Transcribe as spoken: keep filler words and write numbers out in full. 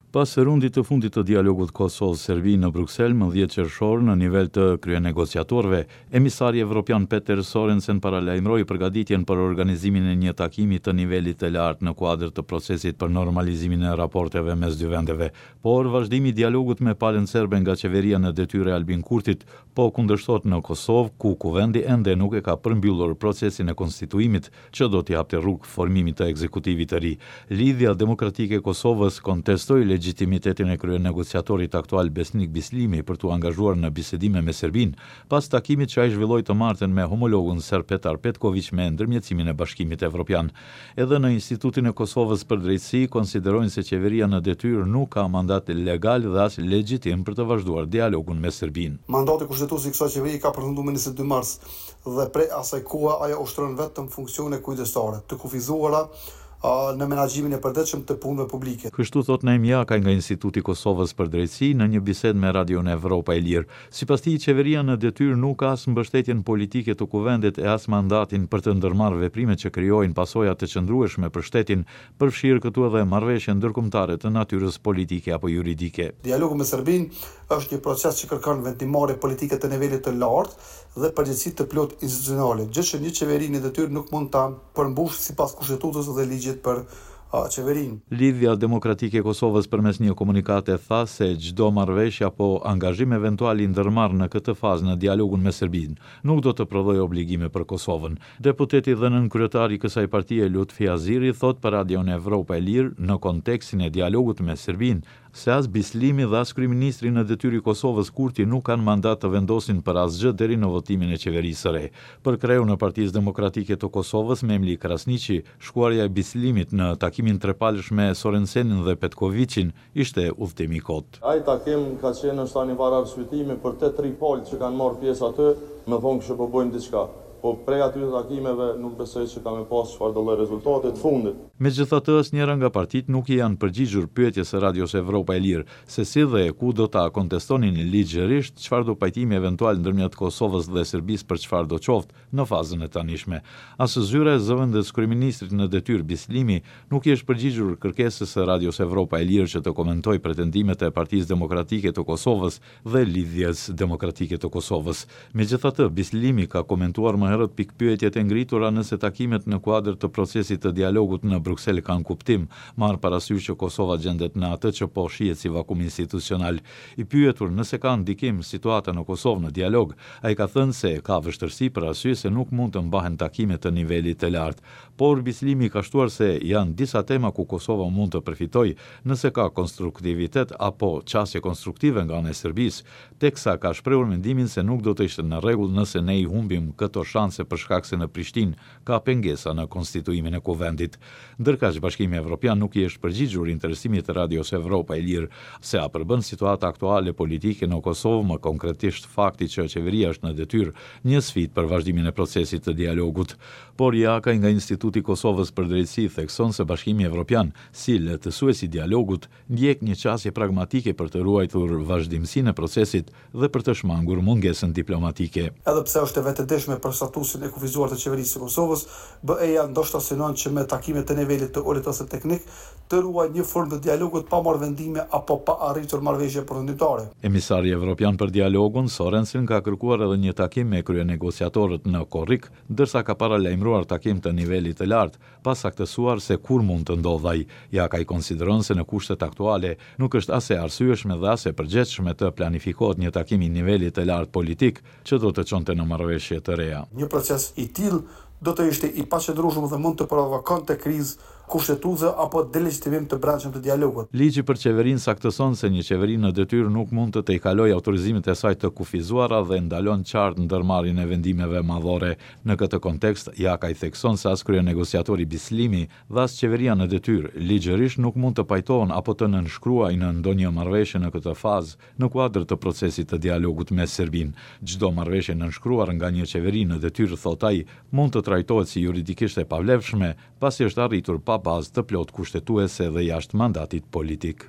Pas rundit të fundit të dialogut Kosovë-Serbi në Bruksel më dhjetë qershor në nivel të kryenegociatorëve, emisari evropian Peter Sorensen paralajmëroi përgatitjen për organizimin e një takimi të nivelit të lartë në kuadër të procesit për normalizimin e raporteve mes dy vendeve. Por vazhdimi i dialogut me palën serbe nga qeveria në detyrë e Albin Kurtit po kundërshtohet në Kosovë, ku kuvendi ende nuk e ka përmbyllur procesin e konstituimit që do t'i hapte rrugë formimit të ekzekutivit të ri. Lidhja Demokratike e Kosovës kontestoi legjitimitetin e kryenegociatorit aktual Besnik Bislimi për t'u angazhuar në bisedime me Serbinë, pas takimit që ai zhvilloi të martën me homologun serb Petar Petkoviq me ndërmjetësimin e Bashkimit Evropian. Edhe në Institutin e Kosovës për Drejtësi konsiderojnë se qeveria në detyrë nuk ka mandat legal dhe as legjitim për të vazhduar dialogun me Serbinë. Mandati kushtetues i kësaj qeverie ka përfunduar më njëzet e dy mars dhe prej asaj kohe ajo ushtron vetëm funksione kujdestare, të kufizuara në menaxhimin e përditshëm të punëve publike. Kështu thot Naim Jakaj nga Instituti i Kosovës për Drejtësi në një bisedë me Radion Evropa e Lirë. Sipas tij, qeveria në detyrë nuk ka as mbështetjen politike të kuvendit e as mandatin për të ndërmarrë veprime që krijojnë pasoja të qëndrueshme për shtetin, përfshirë këtu edhe marrëveshje ndërkombëtare të natyrës politike apo juridike. Dialogu me Serbinë është një proces që kërkon vendimmarrje politike të nivelit të lartë dhe përgjegjësi të plotë institucionale, gjë që një qeveri në detyrë nuk mund ta përmbushë sipas kushtetutës dhe ligjit për qeverinë. Lidhja Demokratike e Kosovës përmes një komunikate tha se çdo marrëveshje apo angazhim eventual i ndërmarr në këtë fazë në dialogun me Serbinë nuk do të prodhojë obligime për Kosovën. Deputeti dhe nënkryetari i kësaj partie Lutfi Haziri thot për Radion Evropa e Lirë në kontekstin e dialogut me Serbinë se as Bislimi dhe as kryeministri në detyrë i Kosovës Kurti nuk kanë mandat të vendosin për asgjë deri në votimin e qeverisë së re. Për kreun e Partisë Demokratike të Kosovës, Memli Krasniqi, shkuarja e Bislimit në takimin trepalësh me Sorensenin dhe Petkoviqin ishte udhëtim i kot. Ai takim ka qenë ndoshta një farë arsyetimi për të tri palë që kanë marrë pjesë aty, me thonë që po bëjmë diçka. Po prej atyre takimeve nuk besoj që ka me pas çfarë do lloj rezultati të fundit. Megjithatë, asnjëra nga partitë nuk i janë përgjigjur pyetjes së Radios Evropa e Lirë se si dhe ku do ta kontestonin ligjërisht çfarë do pajtimi eventual ndërmjet Kosovës dhe Serbisë për çfarë do qoftë në fazën e tanishme. As zyra e zëvendës kryeministrit në detyrë Bislimi nuk i është përgjigjur kërkesës së Radios Evropa e Lirë që të komentojë pretendimet e Partisë Demokratike të Kosovës dhe Lidhjes Demokratike të Kosovës. Megjithatë, Bislimi ka komentuar më herët pikpyetjet e ngritura nëse takimet në kuadër të procesit të dialogut në Bruksel kanë kuptim, marrë parasysh që Kosova gjendet në atë që po shihet si vakum institucional. I pyetur nëse ka ndikim situata në Kosovë në dialog, ai ka thënë se ka vështirësi për arsye se nuk mund të mbahen takime të nivelit të lartë. Por Bislimi ka shtuar se janë disa tema ku Kosova mund të përfitojë nëse ka konstruktivitet apo qasje konstruktive nga ana e Serbisë, teksa ka shprehur mendimin se nuk do të ishte në rregull nëse ne i humbim këto shanse për shkak se në Prishtinë ka pengesa në konstituimin e kuvendit. Ndërkaq Bashkimi Evropian nuk i është përgjigjur interesimit të Radios Evropa e Lirë se a përbën situata aktuale politike në Kosovë, më konkretisht fakti që qeveria është në detyrë, një sfidë për vazhdimin e procesit të dialogut. Por Jakaj nga Instituti i Kosovës për Drejtësi thekson se Bashkimi Evropian, si lehtësues i dialogut, ndjek një qasje pragmatike për të ruajtur vazhdimsinë e procesit dhe për të shmangur mungesën diplomatike. Edhe pse është e vetëdijshme për statusin e kufizuar të qeverisë së Kosovës, B E-ja ndoshta synon që me takime të nivelit të ulët ose teknik të ruajë një formë të dialogut pa marrë vendime apo pa arritur marrëveshje përfundimtare. Emisari evropian për dialogun Sorensen ka kërkuar edhe një takim me kryenegociatorët në Korrik, ndërsa ka paralajmëruar takim të nivelit të lartë, pa saktësuar se kur mund të ndodhë ai. Jakaj konsideron se në kushtet aktuale nuk është as e arsyeshme dhe as e përgjegjshme të planifikohet një takim i nivelit të lartë politik që do të çonte në marrëveshje të reja. Një proces i tillë do të ishte i paqëndrueshëm dhe mund të provokonte krizë kushtetuese apo delegjitimim të brendshëm të dialogut. Ligji për qeverinë saktëson se një qeveri në detyrë nuk mund të tejkalojë autorizimet e saj të kufizuara dhe ndalon qartë ndërmarrjen e vendimeve madhore. Në këtë kontekst, Jakaj thekson se as kryenegociatori Bislimi dhe as qeveria në detyrë ligjërisht nuk mund të pajtohen apo të nënshkruajnë ndonjë marrëveshje në këtë fazë në kuadër të procesit të dialogut me Serbinë. Çdo marrëveshje nënshkruar nga një qeveri në detyrë, thot ai, mund të trajtohet si juridikisht e pavlefshme, pasi është arritur pa bazë të plotë kushtetuese dhe jashtë mandatit politik.